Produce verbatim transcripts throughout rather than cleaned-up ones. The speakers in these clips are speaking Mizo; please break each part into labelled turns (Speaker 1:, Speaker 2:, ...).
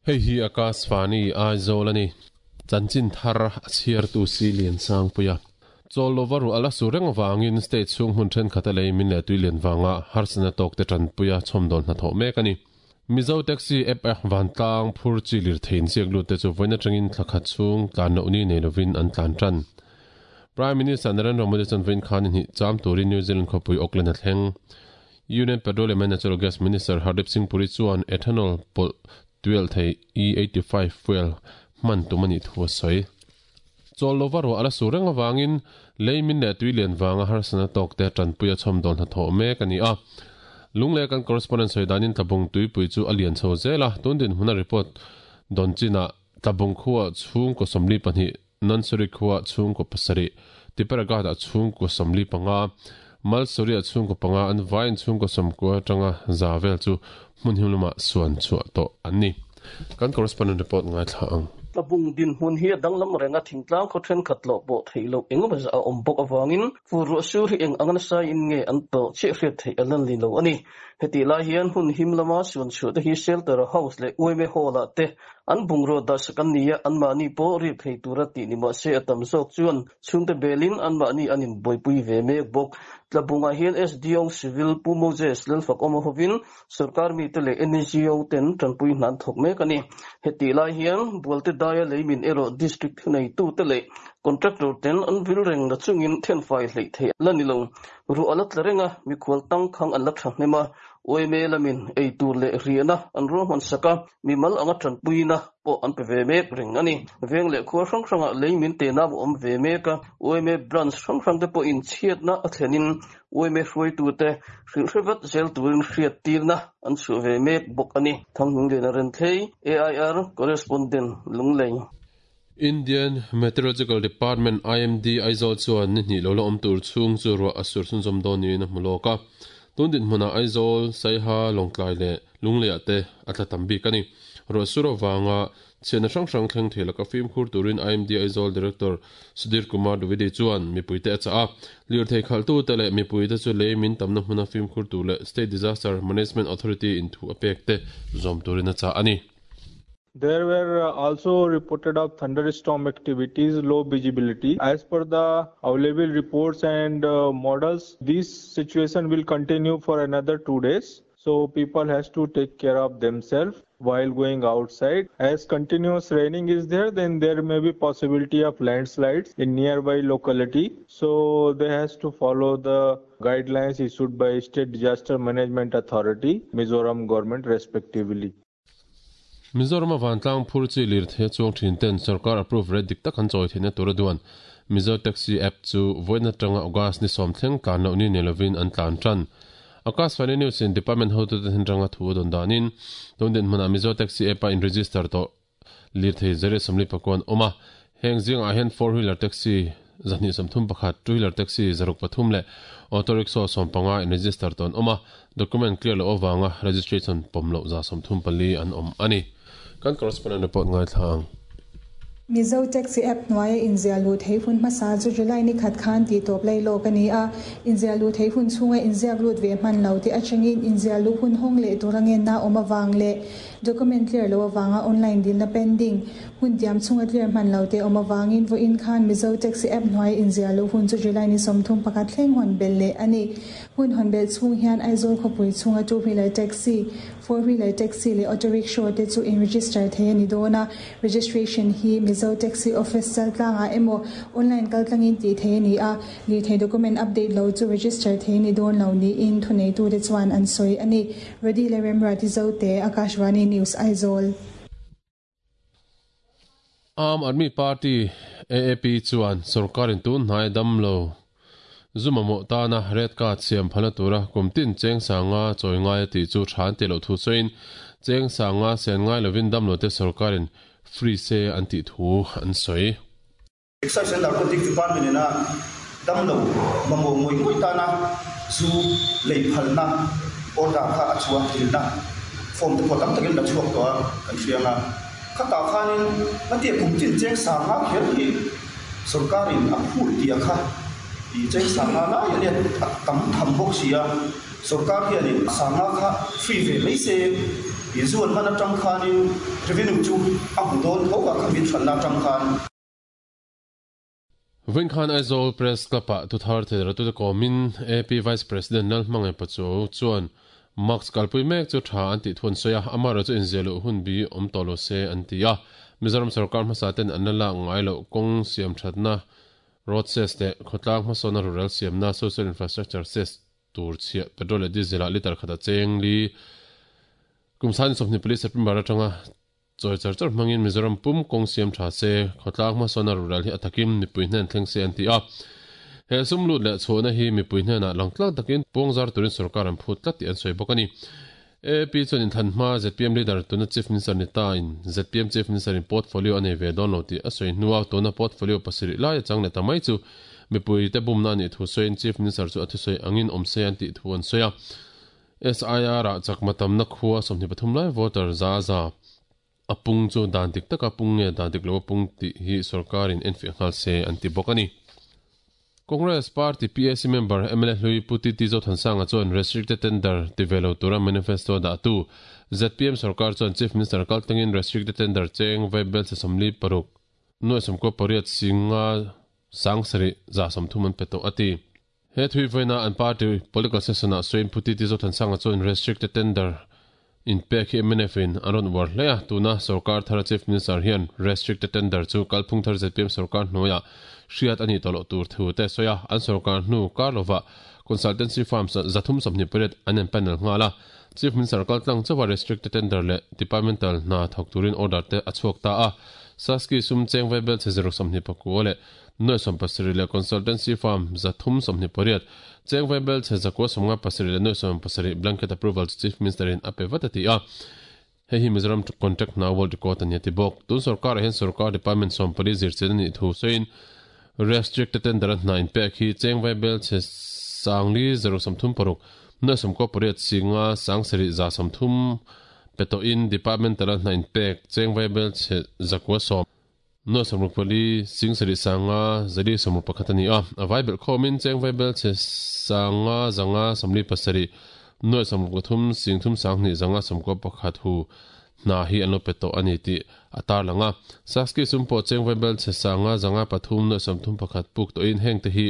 Speaker 1: Hei hi Akashvani Aizawl ani. Chanchin thar a chhiar tu si lian sang puia. Chol lova ru ala su reng wangin state chung hun then khata lei min le tuilian wanga harsana tok te tran puia chhomdol na tho mek ani. Mizo taxi app a vantlang phur chi lir thein siak lu te chu voina tangin thlakhat chung tlan no ni nei lovin an tlan tran. Prime Minister Narendra Modi chan vein khan hi cham turin New Zealand khopui Auckland a thleng. Union Petroleum and Natural Gas Minister Hardeep Singh Puri chuan ethanol pol twelve thei E eighty-five fuel man tumani thu soi. Chol lova ro ala su reng awangin leimin le tuilian wanga harsana tok te tran puia chhomdol na tho mek ani a. Lungle kan correspondent soidanin tlabung tuipui chu alian chho zela tundin huna report donchina tlabung khuwa chung ko somli pahnih nansuri khuwa chung ko pasari tiparaga da chung ko somli panga malsuri a chung ko panga an vain chung ko somko tanga zavel chu hmunhimluma suan chu to anni. Kan correspondent report ngai thla ang.
Speaker 2: Tlabung din hun hi danglam renga thingtlang kho then khat lo bo theilo engemaw za a awm bawk awangin fur su hi eng angana sai in nge an to che hriat thei alan li lo ani. Heti lai hian hun him lama suan chu te hi shelter house le uime hall a te an bungro da sakan nia an mani po ri phei tura ti ni ma se atam zawk chuan chhungte belin an mani anin boipui ve mek bawk. Tlabunga hian S D O Civil Pu Moses Lalfak awm hovin sarkar mi te leh N G O ten tanpui hnan thawk mek ani. Heti lai hian bualte daia leimin erawh district nei tu te leh contractor ten an vil reng na chungin then fai hlei thei la ni lo. Ru ala tla renga mikhual tang khang an la tha hnema oime lamin ei tur leh riana an ruahman saka mimal anga tanpuina pawh an pe ve mek reng ani. Veng leh khuar hrang hranga leimin te na awm ve mek a oime branch hrang hrang te pawh in chhiatna a thlenin oime hruai tu te hrilh hrevat zel turin hriat tirna an chhuah ve mek bawk ani. Thanghming leh na ren thlei A I R correspondent Lunglei.
Speaker 1: Indian Meteorological Department I M D Aizawl chuan ni hnih lo la awm tur chhung chu ruah a sur chhunzawm dawn niin a hmu lawk a. Tundin hmuna Aizawl, Saiha, Lawngtlai leh Lungleiah te a tla tam bik ani. Ruah sur awanga chhiatna hrang hrang thleng thei laka fimkhur turin I M D Aizawl Director Sudhir Kumar Dwivedi chuan mipui te a chah a. Lir thei khalh tu te leh mipui te chu leimin tamna hmuna fimkhur tur leh State Disaster Management Authority in thu a pek te zawm turin a chah ani.
Speaker 3: There were also reported of thunderstorm activities, low visibility. As per the available reports and uh, models, this situation will continue for another two days. So people has to take care of themselves while going outside. As continuous raining is there, then there may be possibility of landslides in nearby locality. So they has to follow the guidelines issued by State Disaster Management Authority, Mizoram government respectively.
Speaker 1: Mizoram vantlang phur chi lir the chuang thin ten sarkar approve red dik tak an choi theina tur duan Mizo taxi app chu voina tanga August ni som thleng tlan lo ni nelovin an tlan tran. Akashvani News in department hotu te ranga thu don danin tundin hmuna Mizo taxi app a in register to lir thei zere somli pakwan oma heng jing a hen four wheeler taxi zani samthum pakhat two wheeler taxi zaruk pathum le auto rickshaw sompanga in register ton oma document clear lo awanga registration pomlo za somthum pali an om ani. Kan correspondent report ngai thang.
Speaker 4: Mizo taxi app nuai inzia lu thei hun masa chu July ni khat khan ti top lai lo kani a inzia lu thei hun chunga inzia lut ve man lo ti achangin inzia lu hun hong le turangen na oma wang le document clear lo wanga online din na pending hun diam chunga clear man lo te oma wangin vo in khan Mizo taxi app nuai inzia lu hun chu July ni somthum pakhat thleng hon bel le ani hun hon bel chung hian Aizawl khopui chunga two wheeler taxi four wheeler taxi le auto rickshaw te chu in register the ani dona registration hi Mizo taxi office chaltlanga emo online kaltlangin ti the ni a li the document update lo chu register the ni don lo ni in thunei tu te chuan an soi ani ready le remra ti zo te Akashvani News Aizawl.
Speaker 1: Aam Aadmi Party A A P chuan sarkarin tun hnai dam lo zuma mo ta na red card siam phana tura kumtin cheng sanga choi ngai ti chu than te lo thu soin cheng sanga sen ngai lovin dam lo te sarkarin free se an ti thu an soi.
Speaker 5: Excise and Narcotics Department na dam lo mamo ngoi ngoi ta na zu lei phal na order kha achua thil na form te photam takin la chuak to kan hrianga khata khanin na ti kumtin cheng sanga kher hi sarkarin a phul tia kha i cheng sanga la ya le tam tham bok sia sarkar hianin sanga kha free ve mai se Izuan mana tang khanin revenue chu a hmu dawn tho a khamin thanna tang khan.
Speaker 1: Vinkhan Aizawl Press Club ah tuthar thei tu te komin A P Vice President Lalhmangai Pachuau chuan Max kalpui mek chu tha an ti thun soya amara chu inzelu hun bi om tolo se an ti a Mizoram sarkar hmasa ten an la ngai lo kong siam thatna road ses te khotlang hmasona rural siamna social infrastructure ses tur chhia petrol leh diesel ah liter khata cheng li kumsan somni police September atanga choi char char mangin Mizoram pum kong siam tha se khotlang hmasona rural hi athakim mipui hnen thleng se an ti a he sumlut leh chhona hi mipui hnena langtlang takin pawngzar turin sarkar an phut tlat ti an sawi bawk ani. A P chuan in thanhma Z P M leader tuna Chief Minister ni ta in Z P M Chief Minister in portfolio anei ve dawn lo ti a sawi hnuah tuna portfolio pasarih lai chang leh ta mai chu mipui te bumna ani thu sawiin Chief Minister chu a thusawi angin awm se an tih thu an sawi a. S I R ah chakma tamna khua sawmhnih pathum lai voter za za a pung chu dan dik taka pung nge dan dik lo a pung tih hi sarkarin enfiah nghal se an ti bawk ani. Congress Party P A C member M L A Hlui Puti Tizo Thansanga chuan restricted tender tivelo tura manifesto da tu Z P M sarkar chuan Chief Minister kaltangin restricted tender cheng vaibel se somli paruk nuai somko pariat singa sangsari za somthum an peto ati. He thui voina an party political session a soin Puti Tizo Thansanga chuan restricted tender in pek hi M N F in aron war hlea tuna sarkar thara Chief Minister hian restricted tender chu kalphung thar Z P M sarkar hnuaia hriat ani tolo tur thu te soya an sarkar hnu karlova consultancy firms zathum somni pariat an en panel ngala Chief Minister kaltlang chawa restricted tender le departmental na thok turin order te achhuak ta a saski sum cheng vaibel che zero somni pakua le noi som pasarih le consultancy firm zathum somni pariat cheng vaibel che zakua somnga pasarih le noi som pasarih blanket approval Chief Minister in ape vatati a he hi Mizoram contract na world record ani ti bawk tun sarkar hen sarkar department som pali zir chen ani thu soin restricted tender nine pek hi cheng vaibel che sangli zero samthum paruk noi som ko pariat singa sangsari za samthum peto in departmental nine pek cheng vaibel che zakua som no samruk pali singsari sanga zali samruk pakhat ani a vaibel khomin cheng vaibel che sanga zanga samli pasari noi samruk pathum singthum sangni zanga samko pakhat hu na hi anlo peto ani ti atar langa saski sumpo cheng vaibel che sanga zanga pathum noi samthum pakhat puk to in heng te hi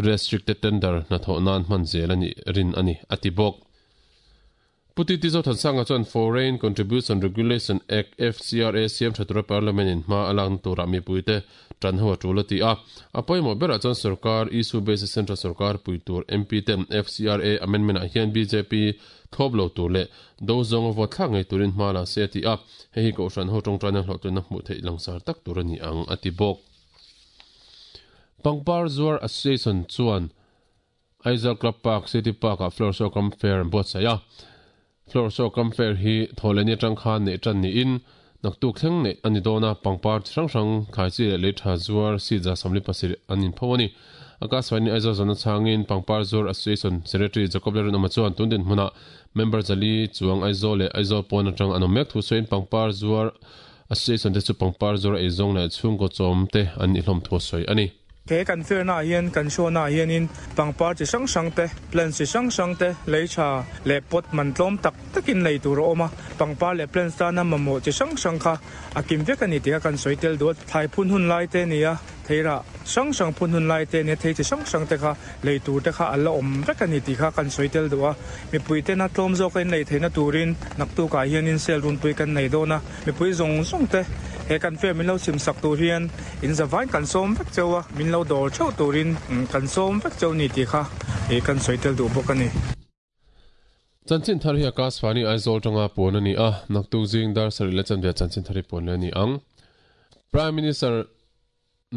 Speaker 1: restricted tender na tho nan man zel ani rin ani ati bok. Puti Tizo Thansanga chuan Foreign Contribution Regulation Act F C R A siam thatura Parliament in hma alang tura mipuite tan ho tul ati a apoimo bera chuan sarkar issue based central sarkar puitur M P ten F C R A amendment ah hian B J P thop lo tur le do zong vo thla ngai turin hma la se ti a he hi ko hran ho tong tana hlo tuna hmu thei langsar tak tur ani ang ati bok. Pangpar Zuar Association chuan Aizawl Club Park City Park a Flower Show Cum Fair bot saya Flower Show Cum Fair hi tholeni tang khan ne tan ni in naktuk thleng ne ani dona pangpar hrang hrang khai chi le tha zuar si ja samli pasir anin phawani akaswani Aizawl zona changin Pangpar Zuar Association Secretary Jacob Leron ama chuan tundin hmuna member jali chuang Aizawl le Aizawl pawna tang anom mek thu soin Pangpar Zuar Association te chu Pangpar Zuar eizong le chhungkaw chawm te an i hlawm thu sawi ani.
Speaker 6: Ke kan fair na hian kan show na hian in pangpar chi sang sang te plants chi sang sang te leicha le pot man tlom tak takin lei tur oma pangpar le plants ta na mamo chi sang sang kha akim vek ani te kan soitel dot thai phun hun lai te nia theira sang sang phun hun lai te ne thei chi sang sang te kha lei tur te kha ala om vek ani ti kha kan soitel doa mi pui te na tlom zo kain lei theina turin naktu ka hian in sel run pui kan nei dona mi pui zong zong te he kan fair min lo sim sak tur hian in zawain kan som vek chewa min lo dor cheu turin kan som vek cheu ni ti kha e kan soitel du bawk ani.
Speaker 1: Chanchin thar hi Akashvani Aizawl tanga pawn ani a naktuk zing dar sarih le chanve chanchin thari pawn ani ang. Prime Minister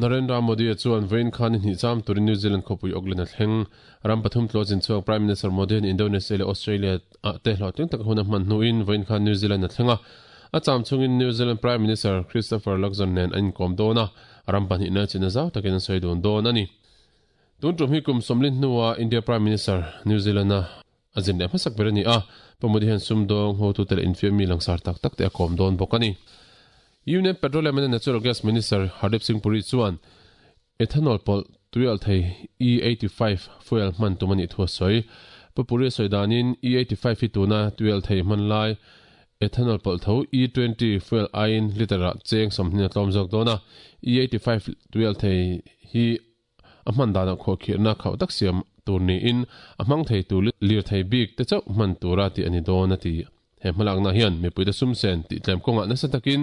Speaker 1: Narendra Modi chuan vein khan in hi cham turin New Zealand khawpui Auckland a thleng ram pathum tlawchin chuak Prime Minister Modi in Indonesia le Australia a te hlawhtling tak hun a hman hnuin vein khan New Zealand a thlenga a cham chungin New Zealand Prime Minister Christopher Luxon nen an inkom dawn a ram pahnih na chin a zau takin an sawi dawn dawn ani. Tun tum hi kum sawmlin hnuah India Prime Minister New Zealand a azin leh hmasak ber ani a Pamudi hian sumdawng hotu te leh infiam mi langsar tak tak te a kawm dawn bawk ani. Union Petroleum and Natural Gas Minister Hardeep Singh Puri chuan ethanol pawlh tuial thei E eighty-five fuel hman tum ani thu a sawi. Puri sawi danin E eighty-five hi tuna tuial thei hman lai Ethanol pawlh tho E twenty fuel aiin liter ah cheng sawmhnih a tlawm zawk dawn a, E eighty five tuial thei hi a hman danah khuahkhirhna khauh tak siam tur niin a hmang thei tur lir thei bik te chauh hman tura tih a ni dawn a ti. He hmalakna hian mipuite sumsen tih tlem kawngah nasa takin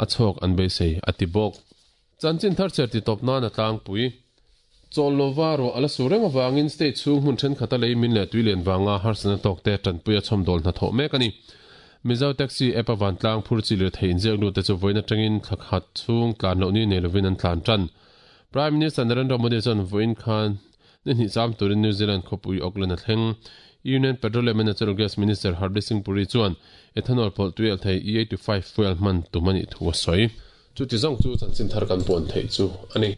Speaker 1: a chhawk an beisei a ti bawk. Chanchin thar cher ti tawp nan a tlangpui. Chawl lova ruah a la sur reng avangin state chhung hmun thenkhat a lei min leh tui lian vanga harsatna tawkte tanpui a chhawmdawl hnathawh mek a ni. Mizo Taxi app a vantlang phur chi lirthei inziak lut te chu vawiin atangin thla khat chhung tlan loh ni nei lovin an tlan tan. Prime Minister Narendra Modi chuan vawiin khan ni hnih cham turin New Zealand khawpui Auckland a thleng. Union Petroleum and Natural Gas Minister Hardeep Singh Puri chuan ethanol pawlh tui alh thei E eighty five fuel hman tum a nih thu a sawi. Chuti zawng chu chanchin thar kan puan theih chu a ni.